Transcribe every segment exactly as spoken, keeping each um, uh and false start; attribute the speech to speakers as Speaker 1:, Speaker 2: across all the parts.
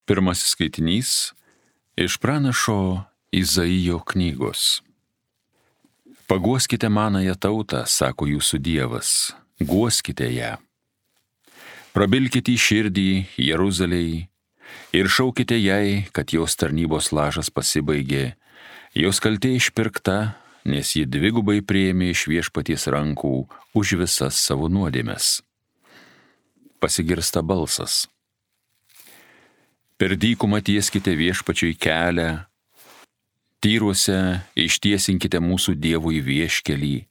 Speaker 1: Pirmasis skaitinys iš pranašo Izaijo knygos. Paguoskite manąją tautą, sako jūsų Dievas, guoskite ją. Prabilkite į širdį Jeruzalei ir šaukite jai, kad jos tarnybos lažas pasibaigė, jos kaltė išpirkta, nes ji dvigubai priėmė iš Viešpaties rankų už visas savo nuodėmes. Pasigirsta balsas. Per dykumą tieskite Viešpačiui kelią, tyruose ištiesinkite mūsų Dievui vieškelį.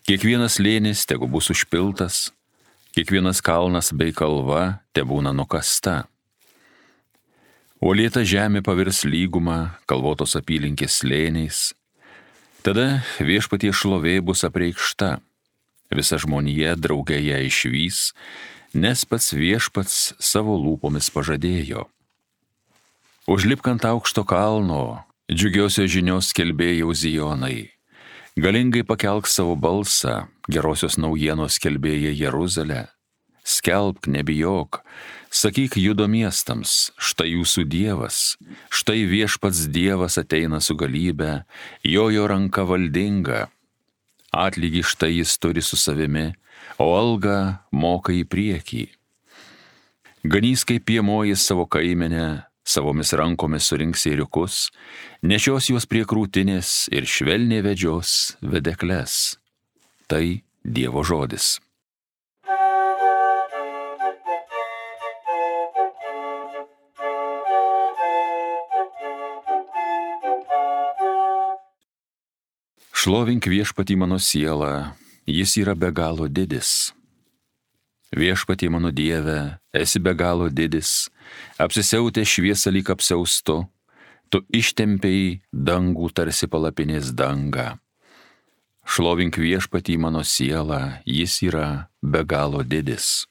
Speaker 1: Kiekvienas slėnis tegu bus užpiltas, kiekvienas kalnas bei kalva tebūna nukasta. Uolėta žemė pavirs lygumą, kalvotos apylinkės slėniais. Tada Viešpaties šlovė bus apreikšta, visa žmonija drauge ją išvys, nes pats Viešpats savo lūpomis pažadėjo. Užlipk ant aukšto kalno, džiugiosios žinios skelbėjau Zijonai. Galingai pakelk savo balsą, gerosios naujienos skelbėja Jeruzalę. Skelbk, nebijok, sakyk Judo miestams, štai jūsų Dievas, štai Viešpats Dievas ateina su galybe, jo jo ranka valdinga. Atlygį štai jis turi su savimi, o algą moka į priekį. Ganys kaip piemoji savo kaimenę, savomis rankomis surinks ėriukus, nešios juos prie krūtinės ir švelniai vedžios vedekles. Tai Dievo žodis. Šlovink Viešpatį mano sielą, jis yra be galo didis. Viešpatie mano Dieve, esi be galo didis, apsisiautė šviesą lyg apsiaustu, tu ištempei dangų tarsi palapinės dangą. Šlovink Viešpatį mano sielą, jis yra be galo didis.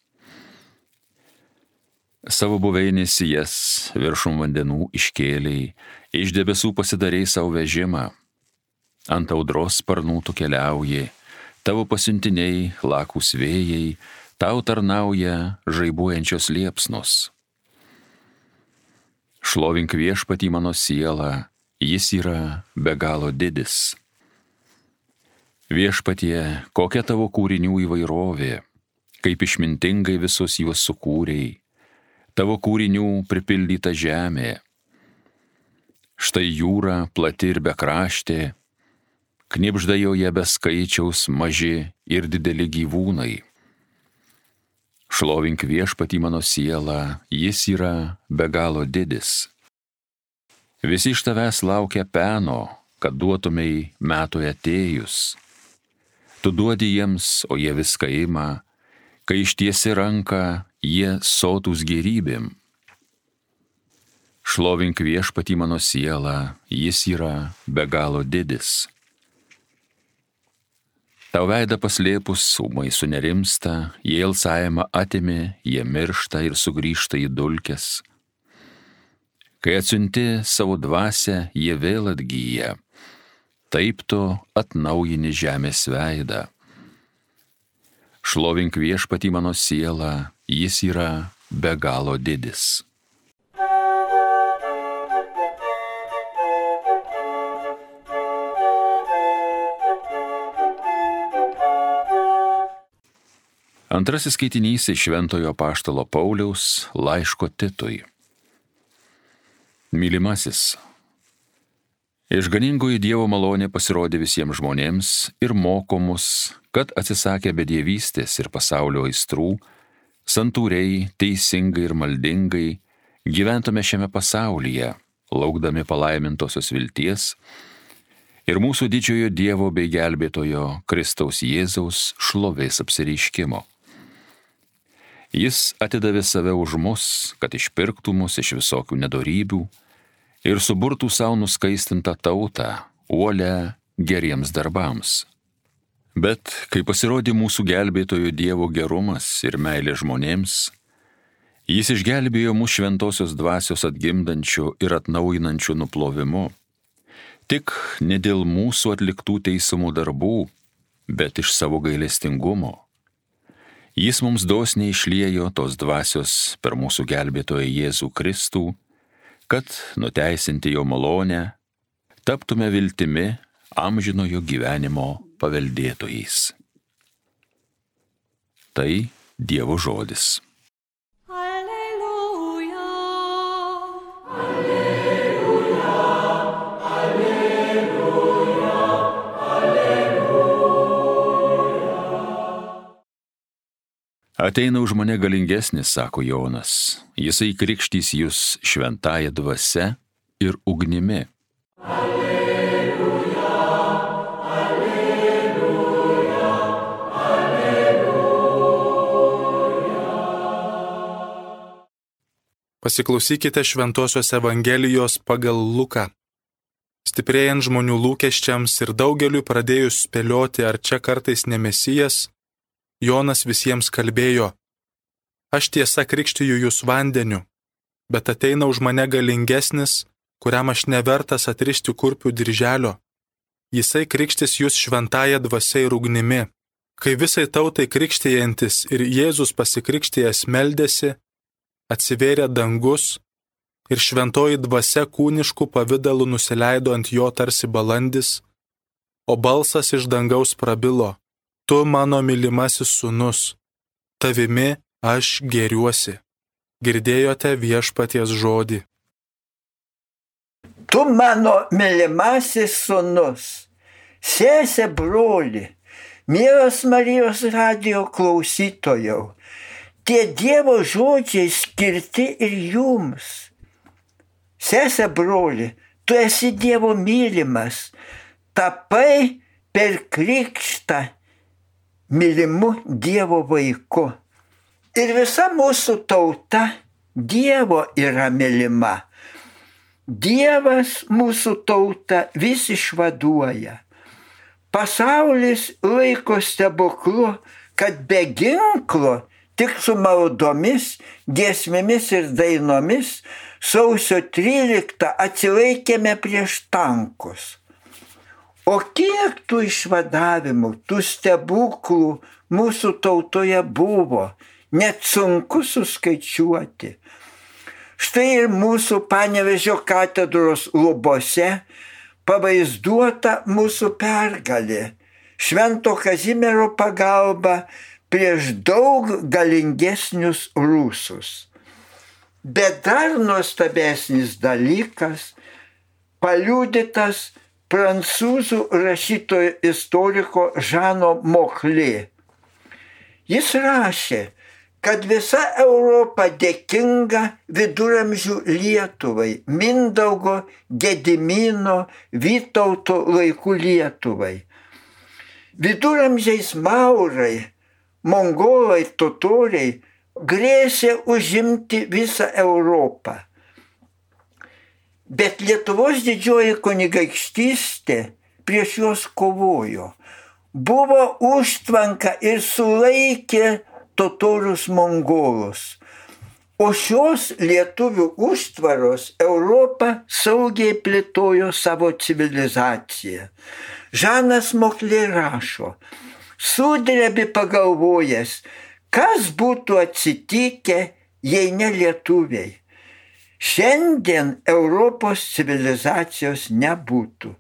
Speaker 1: Savo buveinės jas viršum vandenų iškėlei, iš debesų pasidarei savo vežimą. Ant audros sparnų tu keliauji, tavo pasiuntiniai, lakūs vėjai, tau tarnauja žaibuojančios liepsnos. Šlovink Viešpatį mano sielą, jis yra be galo didis. Viešpatie, kokia tavo kūrinių įvairovė, kaip išmintingai visus juos sukūrei, tavo kūrinių pripildyta žemė. Štai jūra plati ir bekraštė, knibžda joje be skaičiaus maži ir dideli gyvūnai. Šlovink Viešpatį mano sielą, jis yra be galo didis. Visi iš tavęs laukia peno, kad duotumei metui atėjus. Tu duodi jiems, o jie viską ima, kai ištiesi ranką, jie sotūs gėrybėm. Šlovink Viešpatį mano sielą, jis yra be galo didis. Tau veidą paslėpus ūmai sunerimsta, jie alsavimą atėmė, jie miršta ir sugrįžta į dulkes. Kai atsiunti savo dvasią, jie vėl atgyja, taip tu atnaujini žemės veidą. Šlovink Viešpatį mano sielą, jis yra be galo didis. Antrasis skaitinys iš Šventojo apaštalo Pauliaus laiško Titui. Mylimasis, išganingoji Dievo malonė pasirodė visiems žmonėms ir moko mus, kad atsisakę bedievystės ir pasaulio aistrų, santūriai, teisingai ir maldingai gyventume šiame pasaulyje, laukdami palaimintosios vilties ir mūsų didžiojo Dievo bei gelbėtojo Kristaus Jėzaus šlovės apsireiškimo. Jis atidavė save už mus, kad išpirktų mus iš visokių nedorybių ir suburtų savo nuskaistintą tautą, uolę geriems darbams. Bet kai pasirodė mūsų gelbėtojo Dievo gerumas ir meilė žmonėms, jis išgelbėjo mus šventosios dvasios atgimdančių ir atnaujinančių nuplovimu, tik ne dėl mūsų atliktų teisumų darbų, bet iš savo gailestingumo. Jis mums dosniai išliejo tos dvasios per mūsų gelbėtoją Jėzų Kristų, kad nuteisinti jo malonę, taptume viltimi amžinojo gyvenimo paveldėtojais. Tai Dievo žodis.
Speaker 2: Alleluja, alleluja, alleluja, alleluja.
Speaker 1: Ateina už mane galingesnis, sako Jonas, jisai krikštys jūs šventąja dvasia ir ugnimi.
Speaker 2: Alleluja, alleluja, alleluja.
Speaker 3: Pasiklausykite Šventosios Evangelijos pagal Luką. Stiprėjant žmonių lūkesčiams ir daugeliui pradėjus spėlioti, ar čia kartais ne Mesijas, Jonas visiems kalbėjo: Aš tiesa krikštiju jūs vandeniu, bet ateina už mane galingesnis, kuriam aš nevertas atrišti kurpių dirželio. Jisai krikštys jūs šventąja dvasia ir ugnimi. Kai visai tautai krikštijantis ir Jėzus pasikrikštijęs meldėsi, atsivėrė dangus ir šventoji dvasia kūniškų pavidalų nusileido ant jo tarsi balandis, o balsas iš dangaus prabilo: Tu mano mylimasis sūnus, tavimi aš gėriuosi. Girdėjote viešpaties žodį.
Speaker 4: Tu mano mylimasis sūnus, sesė broli, mielas Marijos radijo klausytojau, tie Dievo žodžiai skirti ir jums. Sesė broli, tu esi Dievo mylimas, tapai per krikštą mylimu Dievo vaiku. Ir visa mūsų tauta Dievo yra mylima. Dievas mūsų tautą vis išvaduoja. Pasaulis laiko stebuklu, kad be ginklo, tik su maldomis, giesmėmis ir dainomis sausio tryliktą atsilaikėme prieš tankus. O kiek tų išvadavimų, tų stebuklų mūsų tautoje buvo, net sunku suskaičiuoti. Štai ir mūsų Panevėžio katedros lubose pavaizduota mūsų pergalė, Švento Kazimiero pagalba prieš daug galingesnius rusus. Bet dar nuostabesnis dalykas paliudytas prancūzų rašytojo istoriko Žano Mochlė. Jis rašė, kad visa Europa dėkinga viduramžių Lietuvai, Mindaugo, Gedimino, Vytauto laikų Lietuvai. Viduramžiais maurai, mongolai, totoriai grėsė užimti visą Europą. Bet Lietuvos didžioji kunigaikštystė prieš juos kovojo. Buvo užtvanka ir sulaikė totorius mongolus. O šios lietuvių užtvaros Europą saugiai plėtojo savo civilizaciją. Žanas Mochlė rašo, sudrebi pagalvojęs, kas būtų atsitikę, jei ne lietuviai. Šiandien Europos civilizacijos nebūtų.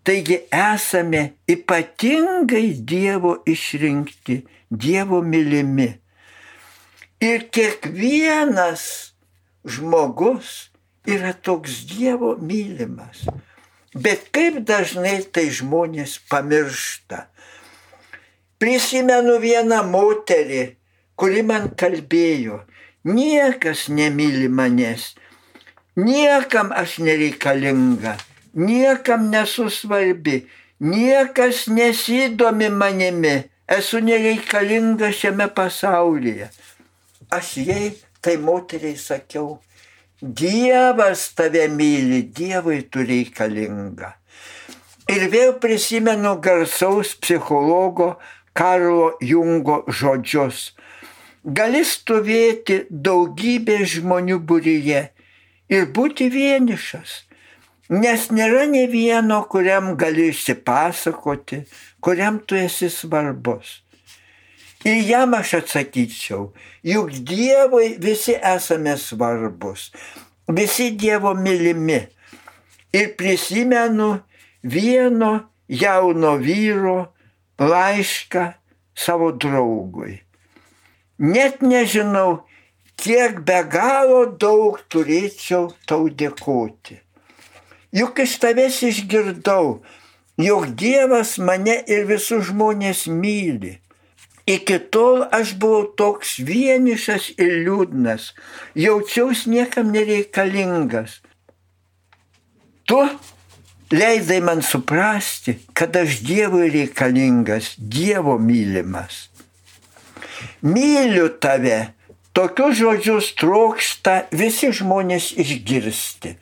Speaker 4: Taigi esame ypatingai Dievo išrinkti, Dievo mylimi. Ir kiekvienas žmogus yra toks Dievo mylimas. Bet kaip dažnai tai žmonės pamiršta. Prisimenu vieną moterį, kuri man kalbėjo, niekas nemyli manęs, niekam aš nereikalinga, niekam nesu svarbi, niekas nesidomi manimi, esu nereikalinga šiame pasaulyje. Aš jai, tai moteriai sakiau, Dievas tave myli, Dievui tu reikalinga. Ir vėl prisimenu garsaus psichologo Karlo Jungo žodžius. Gali stovėti daugybė žmonių būryje ir būti vienišas, nes nėra ne vieno, kuriam gali išsipasakoti, kuriam tu esi svarbus. Ir jam aš atsakyčiau, juk Dievui visi esame svarbus, visi Dievo mylimi. Ir prisimenu vieno jauno vyro laišką savo draugui. Net nežinau, kiek be galo daug turėčiau tau dėkoti. Juk iš tavęs išgirdau, jog Dievas mane ir visus žmonės myli. Iki tol aš buvau toks vienišas ir liūdnas, jaučiausi niekam nereikalingas. Tu leidai man suprasti, kad aš Dievui reikalingas, Dievo mylimas. Myliu tave, tokius žodžius trokšta visi žmonės išgirsti.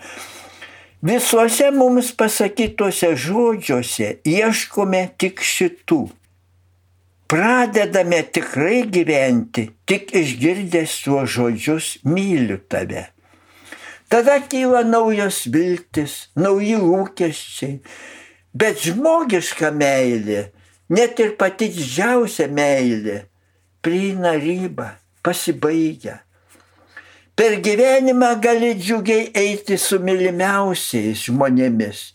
Speaker 4: Visuose mums pasakytuose žodžiuose ieškome tik šitų. Pradedame tikrai gyventi, tik išgirdęs tuos žodžius myliu tave. Tada kyla naujos viltis, nauji lūkesčiai, bet žmogiška meilė, net ir pati didžiausia meilė, prieina ribą, pasibaigia. Per gyvenimą gali džiugiai eiti su mylimiausiais žmonėmis,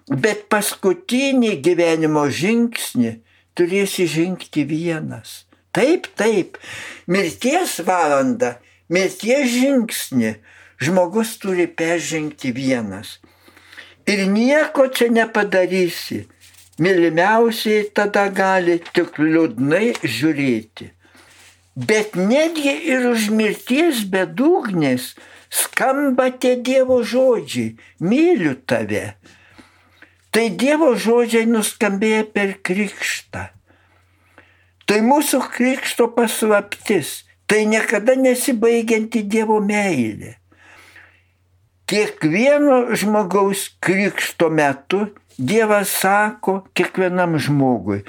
Speaker 4: bet paskutinį gyvenimo žingsnį turėsi žengti vienas. Taip, taip, mirties valandą, mirties žingsnį žmogus turi peržengti vienas. Ir nieko čia nepadarysi. Mylimiausiai tada gali tik liūdnai žiūrėti. Bet netgi ir už mirties bedugnės skamba tie Dievo žodžiai. Myliu tave. Tai Dievo žodžiai nuskambėjo per krikštą. Tai mūsų krikšto paslaptis. Tai niekada nesibaigianti Dievo meilė. Kiekvieno žmogaus krikšto metu Dievas sako kiekvienam žmogui,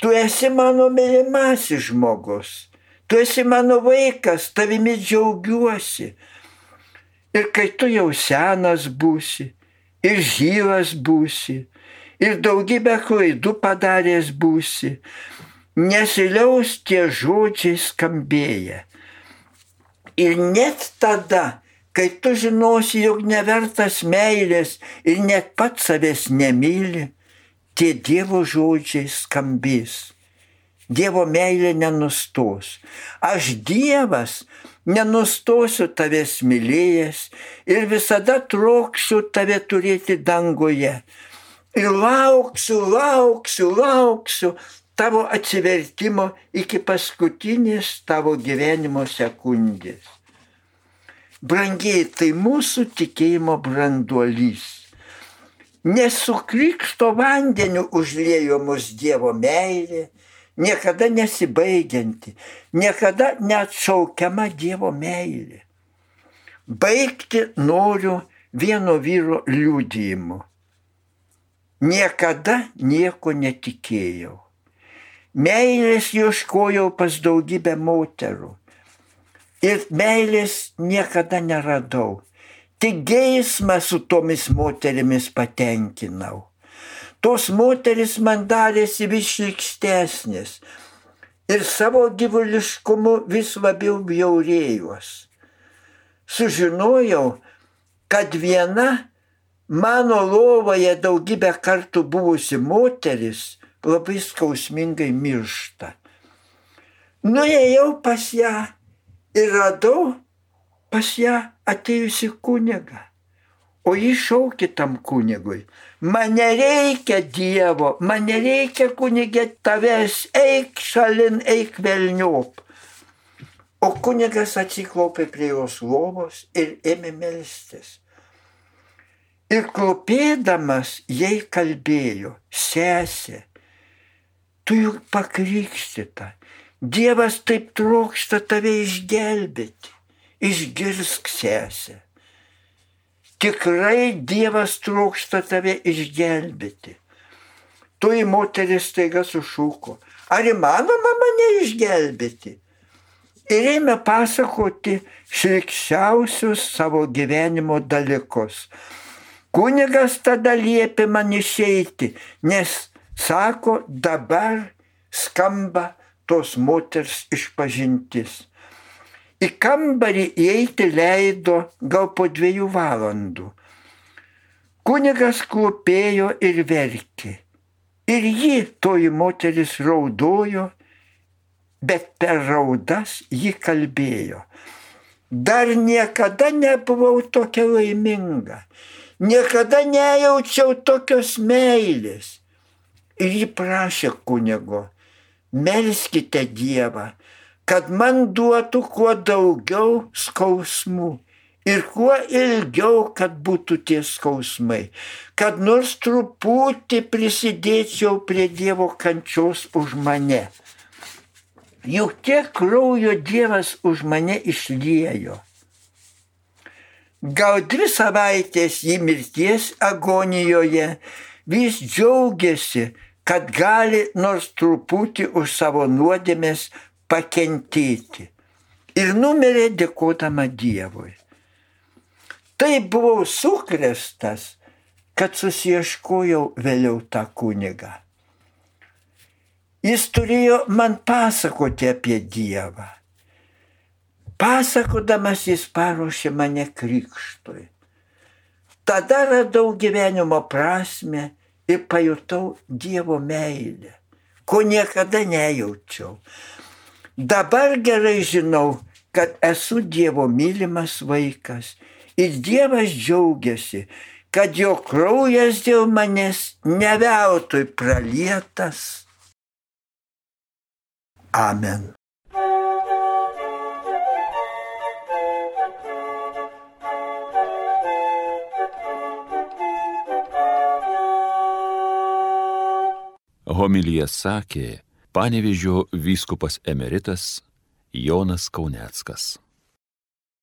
Speaker 4: tu esi mano mylimasis žmogus, tu esi mano vaikas, tavimi džiaugiuosi. Ir kai tu jau senas būsi, ir žyvas būsi, ir daugybę klaidų padaręs būsi, nesiliaus tie žodžiai skambėję. Ir net tada, kai tu žinosi, jog nevertas meilės ir net pats savęs nemyli, tie Dievo žodžiai skambės. Dievo meilė nenustos. Aš Dievas nenustosiu tavęs mylėjęs ir visada trokšiu tave turėti danguje. Ir lauksiu, lauksiu, lauksiu tavo atsivertimo iki paskutinės tavo gyvenimo sekundės. Brangiai, tai mūsų tikėjimo branduolys. Nes su krikšto vandeniu užliejo mus Dievo meilė, niekada nesibaigianti, niekada neatšaukiama Dievo meilė. Baigti noriu vieno vyro liudijimu. Niekada nieko netikėjau. Meilės ieškojau pas daugybę moterų. Ir meilės niekada neradau. Tik geismą su tomis moterimis patenkinau. Tos moteris man darėsi vis šlykštesnės. Ir savo gyvuliškumu vis labiau bjaurėjos. Sužinojau, kad viena mano lovoje daugybę kartų buvusi moteris labai skausmingai miršta. Nuėjau pas ją. Ir radau pas ją atėjusi kunigą. O jis šaukė tam kunigui, man nereikia Dievo, man nereikia kunigė tavęs, eik šalin, eik velniop. O kunigas atsiklaupė prie jos lovos ir ėmė melstis. Ir klopėdamas jai kalbėjo, sesė, tu juk pakrikštyta. Dievas taip trokšta tave išgelbėti. Išgirsk, sesė. Tikrai Dievas trokšta tave išgelbėti. Toji moteris staiga sušuko. Ar įmanoma mane išgelbėti? Ir ėmė pasakoti šlykščiausius savo gyvenimo dalykus. Kunigas tada liepė man išeiti, nes, sako, dabar skamba tos moters išpažintis. Į kambarį įeiti leido gal po dviejų valandų. Kunigas klūpėjo ir verkė. Ir ji, toji moteris, raudojo, bet per raudas ji kalbėjo. Dar niekada nebuvau tokia laiminga. Niekada nejaučiau tokios meilės. Ir ji prašė kunigo, melskite Dievą, kad man duotų kuo daugiau skausmų ir kuo ilgiau, kad būtų tie skausmai, kad nors truputį prisidėčiau prie Dievo kančios už mane. Juk tiek kraujo Dievas už mane išliejo. Gal dvi savaitės į mirties agonijoje vis džiaugiasi, kad gali nors truputį už savo nuodėmės pakentėti. Ir numirė dėkodama Dievui. Taip buvau sukrėstas, kad susiieškojau vėliau tą kunigą. Jis turėjo man pasakoti apie Dievą. Pasakodamas jis paruošė mane krikštui. Tada radau gyvenimo prasmę ir pajutau Dievo meilę, ko niekada nejaučiau. Dabar gerai žinau, kad esu Dievo mylimas vaikas ir Dievas džiaugiasi, kad jo kraujas dėl manęs ne veltui pralietas. Amen.
Speaker 1: Homiliją sakė Panevėžio vyskupas emeritas Jonas Kauneckas.